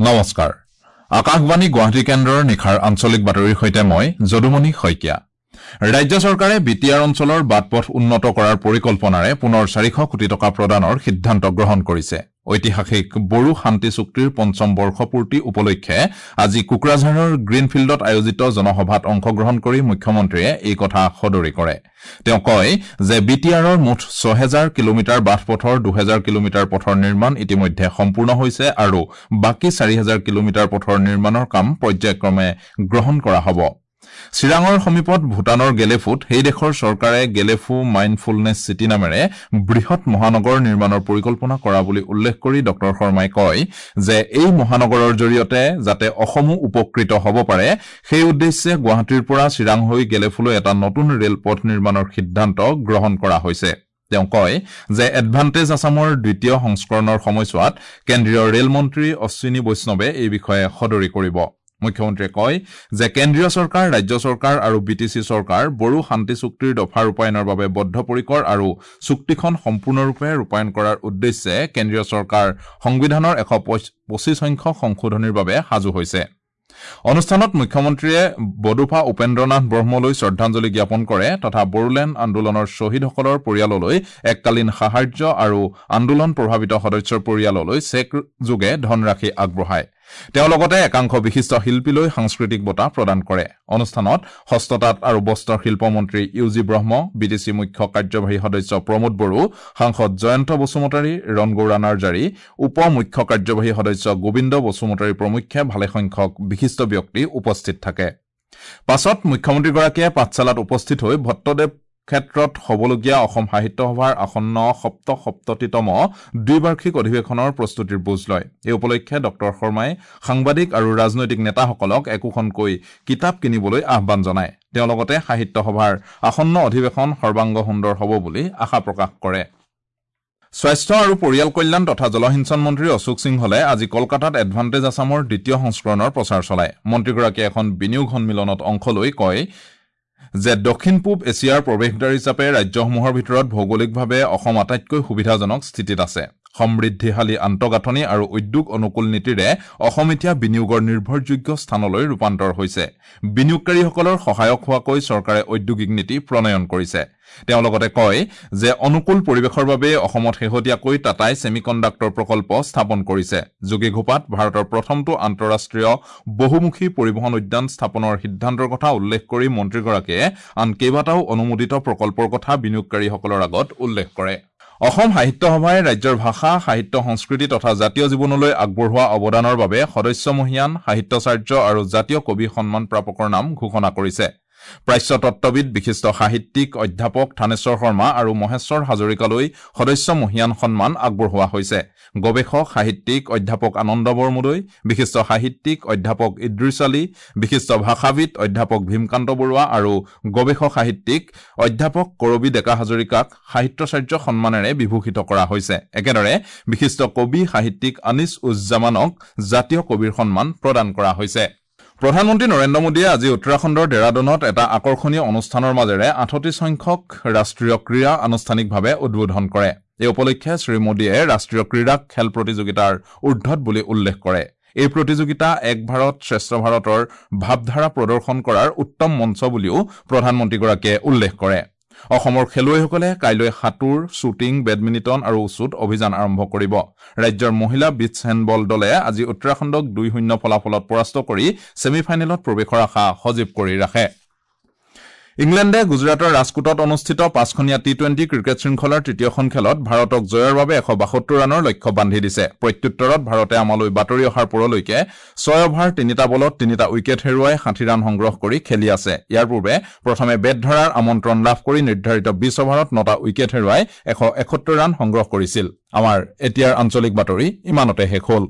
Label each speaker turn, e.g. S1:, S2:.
S1: নমস্কাৰ, আকাশবাণী গুৱাহাটী কেন্দ্ৰৰ নিশাৰ আঞ্চলিক বাতৰিৰ সৈতে মই যদুমণি শইকীয়া। ৰাজ্য চৰকাৰে বি টি আৰ অঞ্চলৰ বাট পথ উন্নত কৰাৰ পৰিকল্পনাৰে পুনৰ 400 কোটি টকা প্ৰদানৰ সিদ্ধান্ত গ্ৰহণ কৰিছে। ঐতিহাসিক বড়ো শান্তি চুক্তিৰ পঞ্চম বৰ্ষপূৰ্তি উপলক্ষে আজি কোকৰাঝাৰৰ গ্ৰীণফিল্ডত আয়োজিত জনসভাত অংশগ্ৰহণ কৰি মুখ্যমন্ত্ৰীয়ে এই কথা সদৰি কৰে। তেওঁ কয় যে বি টি আৰৰ মুঠ 6000 কিলোমিটাৰ বাট পথৰ 2000 কিলোমিটাৰ পথৰ নিৰ্মাণ ইতিমধ্যে সম্পূৰ্ণ হৈছে আৰু বাকী 4000 কিলোমিটাৰ পথৰ নিৰ্মাণৰ কাম পৰ্যায়ক্ৰমে গ্ৰহণ কৰা হ'ব। চিৰাঙৰ সমীপত ভূটানৰ গেলেফুত সেই দেশৰ চৰকাৰে গেলেফু মাইণ্ডফুলনেছ চিটি নামেৰে বৃহৎ মহানগৰ নিৰ্মাণৰ পৰিকল্পনা কৰা বুলি উল্লেখ কৰি ডঃ শৰ্মাই কয় যে এই মহানগৰৰ জৰিয়তে যাতে অসমো উপকৃত হ'ব পাৰে সেই উদ্দেশ্যে গুৱাহাটীৰ পৰা চিৰাং হৈ গেলেফুলৈ এটা নতুন ৰেলপথ নিৰ্মাণৰ সিদ্ধান্ত গ্ৰহণ কৰা হৈছে। তেওঁ কয় যে এডভান্টেজ আছামৰ দ্বিতীয় সংস্কৰণৰ সময়ছোৱাত কেন্দ্ৰীয় ৰেল মন্ত্ৰী অশ্বিনী বৈষ্ণৱে এই বিষয়ে সদৰি কৰিব। মুখ্যমন্ত্ৰীয়ে কয় যে কেন্দ্ৰীয় চৰকাৰ, ৰাজ্য চৰকাৰ আৰু বি টি চি চৰকাৰ বড়ো শান্তি চুক্তিৰ দফা ৰূপায়ণৰ বাবে বদ্ধপৰিকৰ আৰু চুক্তিখন সম্পূৰ্ণৰূপে ৰূপায়ণ কৰাৰ উদ্দেশ্যে কেন্দ্ৰীয় চৰকাৰ সংবিধানৰ 125 সংখ্যক সংশোধনীৰ বাবে সাজু হৈছে। অনুষ্ঠানত মুখ্যমন্ত্ৰীয়ে বডোফা উপেন্দ্ৰনাথ ব্ৰহ্মলৈ শ্ৰদ্ধাঞ্জলি জ্ঞাপন কৰে তথা বড়োলেণ্ড আন্দোলনৰ শ্বহীদসকলৰ পৰিয়াললৈ এককালীন সাহায্য আৰু আন্দোলন প্ৰভাৱিত সদস্যৰ পৰিয়াললৈ চেক যোগে ধনৰাশি আগবঢ়ায়। তেওঁ লগতে একাংশ বিশিষ্ট শিল্পীলৈ সাংস্কৃতিক বঁটা প্ৰদান কৰে। অনুষ্ঠানত হস্ততাঁত আৰু বস্ত্ৰ শিল্প মন্ত্ৰী U G Brahma, B T C মুখ্য কাৰ্যবাহী সদস্য প্ৰমোদ বড়ো, সাংসদ জয়ন্ত বসুমতাৰী, ৰণগৌৰা নাৰ্জাৰী, উপ মুখ্য কাৰ্যবাহী সদস্য গোবিন্দ বসুমতাৰী প্ৰমুখ্যে ভালেসংখ্যক বিশিষ্ট ব্যক্তি উপস্থিত থাকে। পাছত মুখ্যমন্ত্ৰীগৰাকীয়ে পাঠশালাত উপস্থিত হৈ ভট্টদেৱ ক্ষেত্ৰত হ'বলগীয়া অসম সাহিত্য সভাৰ আসন্ন ৭৭তম দ্বিবাৰ্ষিক অধিৱেশনৰ প্ৰস্তুতিৰ বুজ লয়। এই উপলক্ষে ডঃ শৰ্মাই সাংবাদিক আৰু ৰাজনৈতিক নেতাসকলক একোখনকৈ কিতাপ কিনিবলৈ আহ্বান জনায়। তেওঁ লগতে সাহিত্য সভাৰ আসন্ন অধিৱেশন সৰ্বাংগ সুন্দৰ হ'ব বুলি আশা প্ৰকাশ কৰে। স্বাস্থ্য আৰু পৰিয়াল কল্যাণ তথা জলসিঞ্চন মন্ত্ৰী অশোক সিংহলে আজি কলকাতাত এডভান্টেজ আছামৰ দ্বিতীয় সংস্কৰণৰ প্ৰচাৰ চলায়। মন্ত্ৰীগৰাকীয়ে এখন বিনিয়োগ সন্মিলনত অংশ লৈ কয় যে দক্ষিণ পূব এছিয়াৰ প্ৰৱেশদ্বাৰ হিচাপে ৰাজ্যসমূহৰ ভিতৰত ভৌগোলিকভাৱে অসম আটাইতকৈ সুবিধাজনক স্থিতিত আছে। সমৃদ্ধিশালী আন্তঃগাঁথনি আৰু উদ্যোগ অনুকূল নীতিৰে অসম এতিয়া বিনিয়োগৰ নিৰ্ভৰযোগ্য স্থানলৈ ৰূপান্তৰ হৈছে। বিনিয়োগকাৰীসকলৰ সহায়ক হোৱাকৈ চৰকাৰে ঔদ্যোগিক নীতি প্ৰণয়ন কৰিছে। তেওঁ লগতে কয় যে অনুকূল পৰিৱেশৰ বাবে অসমত শেহতীয়াকৈ টাটাই ছেমিকণ্ডাক্টৰ প্ৰকল্প স্থাপন কৰিছে। যোগীঘোপাত ভাৰতৰ প্ৰথমটো আন্তঃৰাষ্ট্ৰীয় বহুমুখী পৰিবহণ উদ্যান স্থাপনৰ সিদ্ধান্তৰ কথা উল্লেখ কৰি মন্ত্ৰীগৰাকীয়ে আন কেইবাটাও অনুমোদিত প্ৰকল্পৰ কথা বিনিয়োগকাৰীসকলৰ আগত উল্লেখ কৰে। অসম সাহিত্য সভাই ৰাজ্যৰ ভাষা, সাহিত্য, সংস্কৃতি তথা জাতীয় জীৱনলৈ আগবঢ়োৱা অৱদানৰ বাবে সদস্য মহীয়ান, সাহিত্যাচাৰ্য আৰু জাতীয় কবি সন্মান প্ৰাপকৰ নাম ঘোষণা কৰিছে। প্ৰাচ্য তত্ত্ববিদ, বিশিষ্ট সাহিত্যিক অধ্যাপক থানেশ্বৰ শৰ্মা আৰু মহেশ্বৰ হাজৰিকালৈ সদস্য মহীয়ান সন্মান আগবঢ়োৱা হৈছে। গৱেষক সাহিত্যিক অধ্যাপক আনন্দ বৰমুদৈ, বিশিষ্ট সাহিত্যিক অধ্যাপক ইদ্ৰিছ আলী, বিশিষ্ট ভাষাবিদ অধ্যাপক ভীমকান্ত বৰুৱা আৰু গৱেষক সাহিত্যিক অধ্যাপক কৰবী ডেকা হাজৰিকাক সাহিত্যাচাৰ্য সন্মানেৰে বিভূষিত কৰা হৈছে। একেদৰে বিশিষ্ট কবি সাহিত্যিক আনিছ উজ্জামানক জাতীয় কবিৰ সন্মান প্ৰদান কৰা হৈছে। প্ৰধানমন্ত্ৰী নৰেন্দ্ৰ মোদীয়ে আজি উত্তৰাখণ্ডৰ ডেৰাডুনত এটা আকৰ্ষণীয় অনুষ্ঠানৰ মাজেৰে 38 সংখ্যক ৰাষ্ট্ৰীয় ক্ৰীড়া আনুষ্ঠানিকভাৱে উদ্বোধন কৰে। এই উপলক্ষে শ্ৰী মোদীয়ে ৰাষ্ট্ৰীয় ক্ৰীড়াক খেল প্ৰতিযোগিতাৰ ঊৰ্ধত বুলি উল্লেখ কৰে। এই প্ৰতিযোগিতা এক ভাৰত শ্ৰেষ্ঠ ভাৰতৰ ভাৱধাৰা প্ৰদৰ্শন কৰাৰ উত্তম মঞ্চ বুলিও প্ৰধানমন্ত্ৰীগৰাকীয়ে উল্লেখ কৰে। অসমৰ খেলুৱৈসকলে কাইলৈ সাঁতোৰ, শ্বুটিং, বেডমিণ্টন আৰু উচুত অভিযান আৰম্ভ কৰিব। ৰাজ্যৰ মহিলা বীচ হেণ্ডবল দলে আজি উত্তৰাখণ্ডক 2-0 ফলাফলত পৰাস্ত কৰি ছেমি ফাইনেলত প্ৰৱেশৰ আশা সজীৱ কৰি ৰাখে। ইংলেণ্ডে গুজৰাটৰ ৰাজকোটত অনুষ্ঠিত 5খনীয়া টি-20 ক্ৰিকেট শৃংখলাৰ তৃতীয়খন খেলত ভাৰতক জয়ৰ বাবে 172 ৰানৰ লক্ষ্য বান্ধি দিছে। প্ৰত্যুত্তৰত ভাৰতে আমালৈ বাতৰি অহাৰ পৰলৈকে 6 অভাৰ 3টা বলত 3টা উইকেট হেৰুৱাই 60 ৰান সংগ্ৰহ কৰি খেলি আছে। ইয়াৰ পূৰ্বে প্ৰথমে বেট ধৰাৰ আমন্ত্ৰণ লাভ কৰি নিৰ্ধাৰিত 20 অভাৰত 9টা উইকেট হেৰুৱাই 171 ৰান সংগ্ৰহ কৰিছিল। আমাৰ এতিয়াৰ আঞ্চলিক বাতৰি ইমানতে শেষ হ'ল।